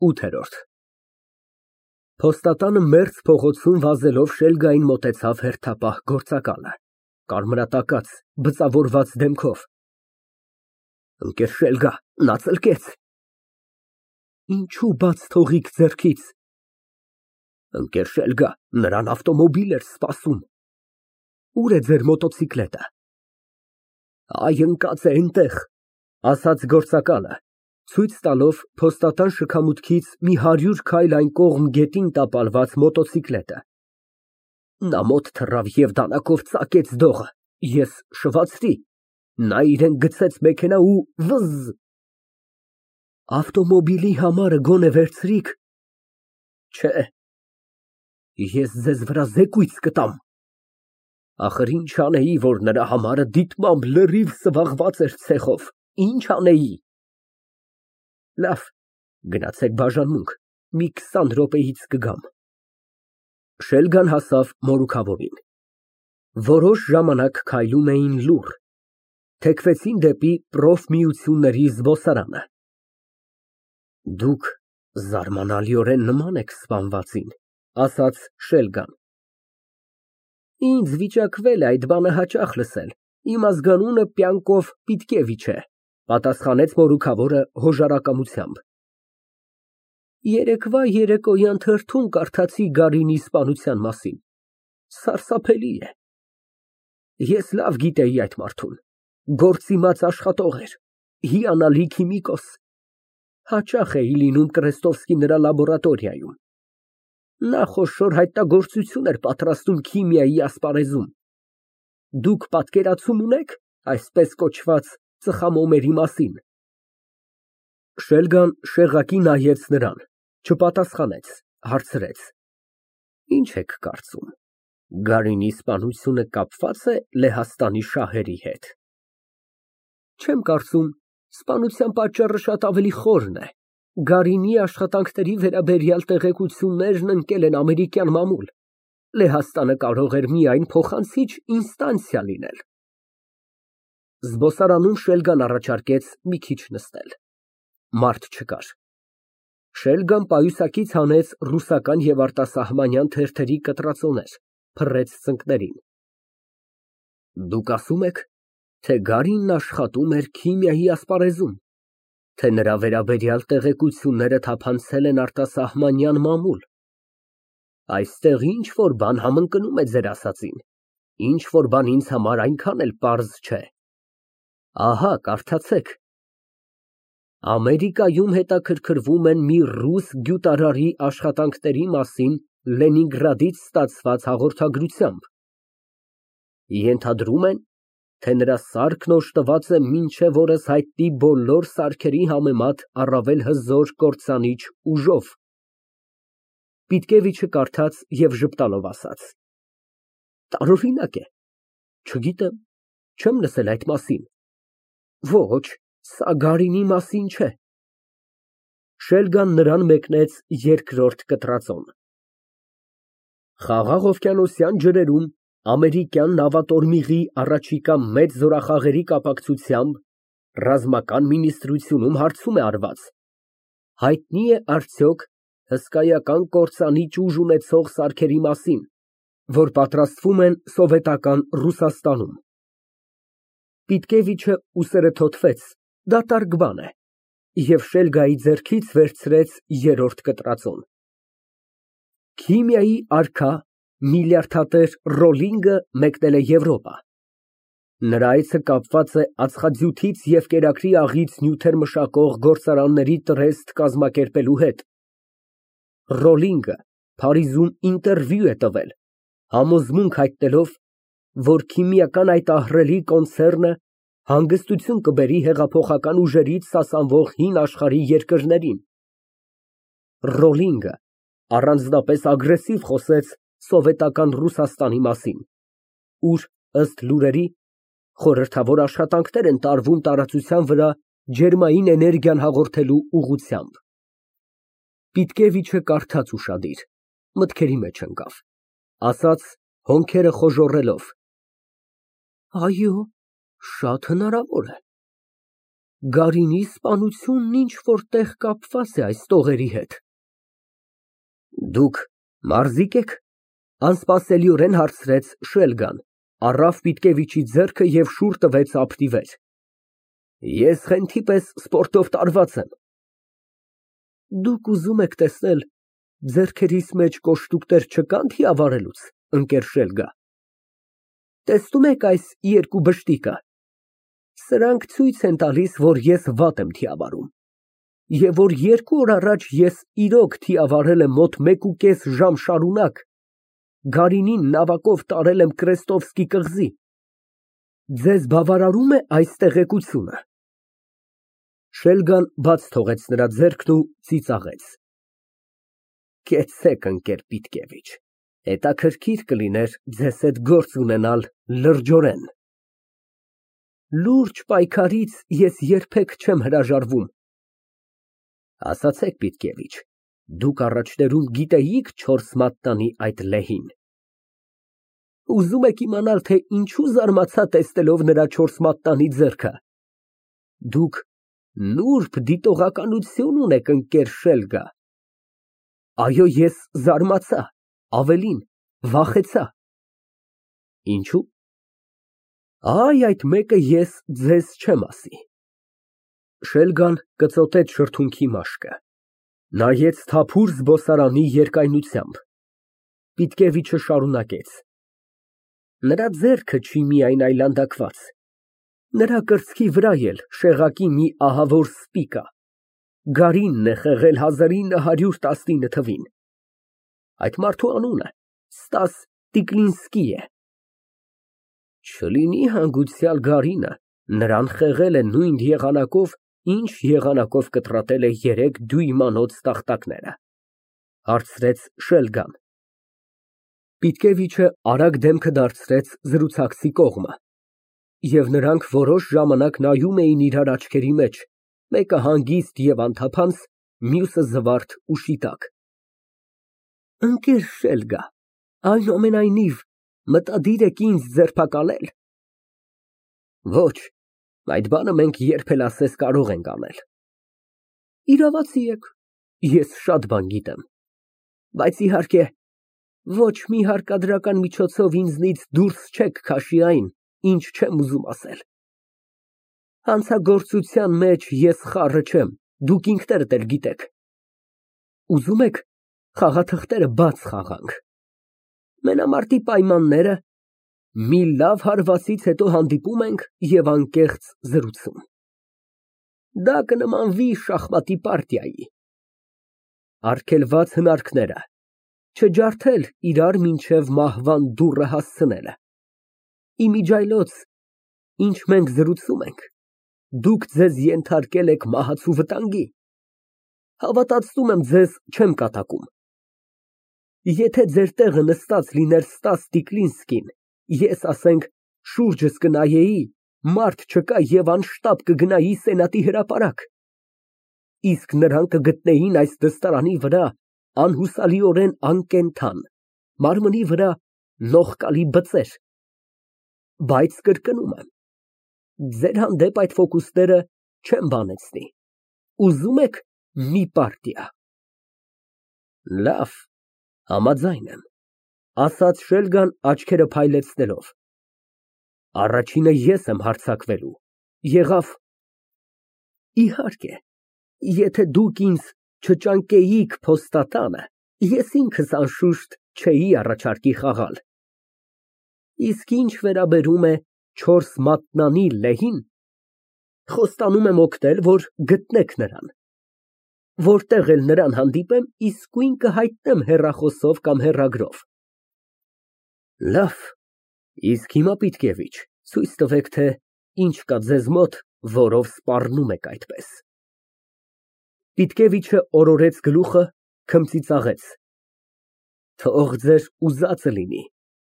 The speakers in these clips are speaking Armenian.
ՈՒԹԵՐՈՐԴ Փոստատանը մերձ փողոցում վազելով Շելգային մոտեցավ հերթապահ գործակալը, կարմրատակած, բծավորված դեմքով։ Ընկեր Շելգա, նա ծլկեց։ Ինչո՞ւ բաց թողիք ձեռքից։ Ընկեր Շելգա, նրան ավտոմոբիլ էր սպասում։ Ո՞ւր է ձեր մոտոցիկլետը։ Այ ընկած է էնտեղ, ասաց գործակալը, ցույց տալով փոստատան շքամուտքից մի 100 քայլ այն կողմ գետին տապալված մոտոցիկլետը։ Նա մոտ թռավ և դանակով ծակեց դողը, ես շվացրի, նա իրան գցեց մեքենա ու վզզ։ Ավտոմոբիլի համարը գոնե վերցրի՞ք։ Չէ։ Ես ձեզ վրա զեկույց կտամ։ Ախր ինչ անեի, որ նրա համարը դիտմամբ լրիվ սվաղված էր ցեխով, ինչ անեի։ Լավ, գնացեք բաժանմունք, մի 20 րոպեից կգամ։ Շելգան հասավ մորուքավորին։ Որոշ ժամանակ քայլում էին լուռ, թեքվեցին դեպի պրոֆմիությունների զբոսարանը։ Դուք զարմանալիորեն նման եք սպանվածին, ասաց Շելգան։ Ինձ վիճակվել է այդ բանը հաճախ լսել, իմ ազգանունը Պյանկով Պիտկևիչ է, պատասխանեց մորուքավորը հոժարակամությամբ։ Երեկվա երեկոյան թերթում կարդացի Գարինի սպանության մասին, սարսափելի է։ Ես լավ գիտեի այդ մարդուն, գործիմաց աշխատող էր, հիանալի քիմիկոս, հաճախ էի լինում Կրեստովսկի նրա լաբորատորիայում։ Նա խոշոր հայտնագործություն էր պատրաստում քիմիայի ասպարեզում։ Դուք պատկերացում ունե՞ք այսպես կոչված ծխամոմերի մասին։ Շելգան շեղակի նայեց նրան, չպատասխանեց, հարցրեց. Ինչ եք կարծում, Գարինի սպանությունը կապվա՞ծ է Լեհաստանի շահերի հետ։ Չեմ կարծում, սպանության պատճառը շատ ավելի խորն է։ Գարինի աշխատանքների վերաբերյալ տեղեկություններն ընկել են ամերիկյան մամուլ։ Լեհաստանը կարող էր միայն փոխանցիչ ինստանցիա լինել։ Զբոսարանում Շելգան առաջարկեց մի քիչ նստել։ Մարդ չկար։ Շելգան պայուսակից հանեց ռուսական և արտասահմանյան թերթերի կտրածոներ, փռեց ծնկներին։ Դուք ասում եք, թե Գարինն աշխատում էր քիմիայի ասպարեզում, թե նրա վերաբերյալ տեղեկությունները թափանցել են արտասահմանյան մամուլ։ Այստեղ ինչ֊որ բան համընկնում է ձեր ասածին, ինչ֊որ բան ինձ համար այնքան էլ պարզ չէ։ Ահա, կարդացեք. Ամերիկայում հետաքրքրվում են մի ռուս գյուտարարի աշխատանքների մասին Լենինգրադից ստացված հաղորդագրությամբ։ Ենթադրում են, թե նրա սարքն օժտված է մինչև օրս հայտնի բոլոր սարքերի համեմատ առավել հզոր կործանիչ ուժով։ Պիտկևիչը կարդաց և ժպտալով ասաց. Տարօրինակ է, չգիտեմ, չեմ լսել այդ մասին։ Ոչ, սա Գարինի մասին չէ։ Շելգան նրան մեկնեց երկրորդ կտրածոն։ Խաղաղ օվկիանոսյան ջրերում ամերիկյան նավատորմիղի առաջիկա մեծ զորախաղերի կապակցությամբ ռազմական մինիստրությունում հարցում է արված. հայտնի է արդյոք հսկայական կործանիչ ուժ ունեցող սարքերի մասին, որ պատրաստվում են սովետական Ռուսաստանում։ Պիտկևիչը ուսերը թոթվեց, դատարկ բան է, և Շելգայի ձեռքից վերցրեց երրորդ կտրածոն։ Քիմիայի արքա միլիարդատեր Ռոլինգը մեկնել է Եվրոպա։ Նրա այցը կապված է ածխաջութից և կերակրի աղից նյութեր մշակող գործարանների տրեստ կազմակերպելու հետ։ Ռոլինգը Փարիզում ինտերվյու է տվել, համոզմունք հայտնելով, որ քիմիական այդ ահռելի կոնցեռնը հանգստություն կբերի հեղափոխական ուժերից սասանվող հին աշխարհի երկրներին։ Ռոլինգը առանձնապես ագրեսիվ խոսեց սովետական Ռուսաստանի մասին, ուր, ըստ լուրերի, խորհրդավոր աշխատանքներ են տարվում տարածության վրա ջերմային էներգիան հաղորդելու ուղղությամբ։ Պիտկևիչը կարդաց ուշադիր, մտքերի մեջ ընկավ, ասաց հոնքերը խոժոռելով. Այո, շատ հնարավոր է։ Գարինի սպանությունն ինչ֊որ տեղ կապված է այս տողերի հետ։ Դուք մարզիկ եք, անսպասելիորեն հարցրեց Շելգան, առավ Պիտկևիչի ձեռքը և շուռ տվեց ափի վեր։ Ես խենթի պես սպորտով տարված եմ։ Դուք ուզում եք տեսնել ձեռքերիս մեջ կոշտուկներ չկան թիավարելուց, ընկեր Շելգա։ Տեսնում եք այս երկու բշտիկը։ Սրանք ցույց են տալիս, որ ես վատ եմ թիավարում, և որ 2 օր առաջ ես իրոք թիավարել եմ մոտ 1.5 ժամ շարունակ, Գարինին նավակով տարել եմ Կրեստովսկի կղզի։ Ձեզ բավարարում է այս տեղեկությունը։ Շելգան բաց թողեց նրա ձեռքն ու ծիծաղեց։ Կեցցեք, ընկեր Պիտկևիչ, հետաքրքիր կլիներ ձեզ հետ գործ ունենալ լրջորեն։ Լուրջ պայքարից ես երբեք չեմ հրաժարվում։ Ասացեք, Պիտկևիչ, դուք առաջներում գիտեիք 4 մատնանի այդ լեհին։ Ուզում եք իմանալ, թե ինչու զարմացա տեսնելով նրա 4 մատնանի ձեռքը։ Դուք նուրբ դիտողականություն ունեք, ընկեր Շելգա։ Այո, ես զարմացա, ավելին, վախեցա։ Ինչու՞։ Այ այդ մեկը ես ձեզ չեմ ասի։ Շելգան կծոտեց շրթունքի մաշկը, նայեց թափուր զբոսարանի երկայնությամբ։ Պիտկևիչը շարունակեց. Նրա ձեռքը չի միայն այլանդակված, նրա կրծքի վրա էլ շեղակի մի ահավոր սպի կա։ Գարինն է խեղել 1919 թվին։ Այդ մարդու անունը Ստաս Տիկլինսկի է։ Չլինի հանգուցյալ Գարինը նրան խեղել է նույն եղանակով, ինչ եղանակով կտրատել է 3 դյույմանոց տախտակները, հարցրեց Շելգան։ Պիտկևիչը արագ դեմքը դարձրեց զրուցակցի կողմը, և նրանք որոշ ժամանակ նայում էին իրար աչքերի մեջ, մեկը հանգիստ և անթափանց, մյուսը զվարթ ու շիտակ։ Ընկեր Շելգա, այնուամենայնիվ, մտադիր եք ինձ ձերբակալել։ Ոչ, այդ բանը մենք երբ էլ ասես կարող ենք անել։ Իրավացի եք, ես շատ բան գիտեմ, բայց իհարկե, ոչ մի հարկադրական միջոցով ինձնից դուրս չեք քաշի այն, ինչ չեմ ուզում ասել։ Հանցագործության մեջ ես խառը չեմ, դուք ինքներդ էլ գիտեք։ Ուզում եք խաղաթղթերը բաց խաղանք։ Մենամարտի պայմանները, մի լավ հարվածից հետո հանդիպում ենք և անկեղծ զրուցում։ Դա կնմանվի շախմատի պարտիայի։ Արգելված հնարքները, չջարդել իրար մինչև մահվան դուռը հասցնելը։ Իմիջիայլոց, ինչ մենք զրուցում ենք, դուք ձեզ ենթարկել եք մահացու վտանգի։ Հավատացնում եմ, ձեզ չեմ կատակում։ Եթե ձեր տեղը նստած լիներ Ստաս Տիկլինսկին, ես, ասենք, շուրջս կնայեի, մարդ չկա և անշտապ կգնայի Սենատի հրապարակ։ Իսկ նրան կգտնեին այս դստարանի վրա անհուսալիորեն անկենդան, մարմնի վրա նողկալի բծեր։ Բայց կրկնում եմ, ձեր հանդեպ այդ ֆոկուսները չեմ բանեցնի։ Ուզում եք մի պարտիա։ Լավ, համաձայն եմ, ասաց Շելգան աչքերը փայլեցնելով։ Առաջինը ես եմ հարձակվելու, եղավ։ Իհարկե, եթե դուք ինձ չճանկեիք փոստատանը, ես ինքս անշուշտ չէի առաջարկի խաղալ։ Իսկ ինչ վերաբերում է 4 մատնանի լեհին, խոստանում եմ օգնել, որ գտնեք նրան։ Որտեղ էլ նրան հանդիպեմ, իսկույն կհայտնեմ հեռախոսով կամ հեռագրով։ Լավ, իսկ հիմա, Պիտկևիչ, ցույց տվեք, թե ինչ կա ձեզ մոտ, որով սպառնում եք այդպես։ Պիտկևիչը օրորեց գլուխը, քմծիծաղեց։ Թող ձեր ուզածը լինի,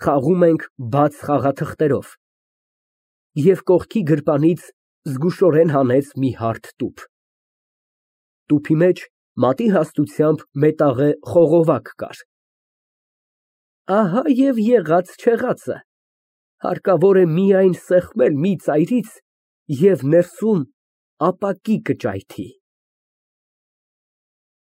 խաղում ենք բաց խաղաթղթերով։ Եվ կողքի գրպանից զգուշորեն հանեց մի հարթ տուփ։ Տուփի մեջ մատի հաստությամբ մետաղե խողովակ կար։ Ահա և եղած չեղածը, հարկավոր է միայն սեղմել մի ծայրից և ներսում ապակի կճայթի։